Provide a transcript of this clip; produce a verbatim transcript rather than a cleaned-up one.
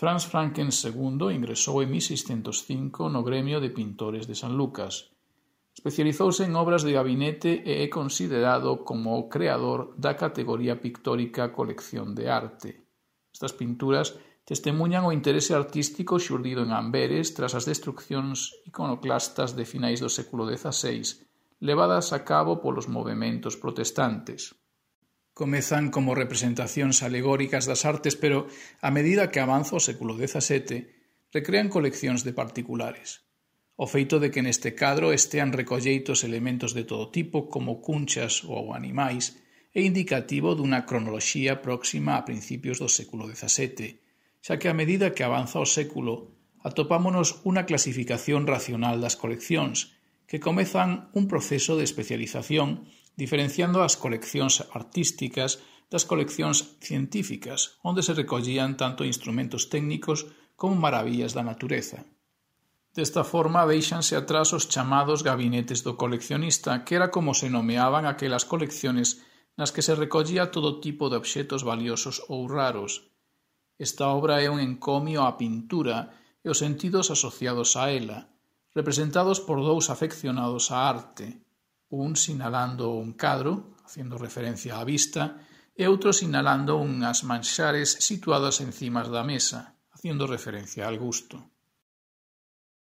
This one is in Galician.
Franz Franken segundo ingresou en mil seiscentos cinco no gremio de pintores de San Lucas. Especializouse en obras de gabinete e é considerado como o creador da categoría pictórica colección de arte. Estas pinturas testemuñan o interese artístico xurdido en Amberes tras as destruccións iconoclastas de finais do século dezaseis, levadas a cabo polos movementos protestantes. Comezan como representacións alegóricas das artes, pero, a medida que avanza o século dezasete, recrean coleccións de particulares. O feito de que neste cadro estean recolleitos elementos de todo tipo, como cunchas ou animais, é indicativo dunha cronoloxía próxima a principios do século dezasete, xa que a medida que avanza o século, atopámonos unha clasificación racional das coleccións, que comezan un proceso de especialización diferenciando as coleccións artísticas das coleccións científicas, onde se recollían tanto instrumentos técnicos como maravillas da natureza. Desta forma deixanse atrás os chamados gabinetes do coleccionista, que era como se nomeaban aquelas colecciones nas que se recollía todo tipo de obxetos valiosos ou raros. Esta obra é un encomio á pintura e os sentidos asociados a ela, representados por dous afeccionados á arte, un sinalando un cadro, facendo referencia á vista, e outro sinalando unhas manxares situadas encima da mesa, facendo referencia ao gusto.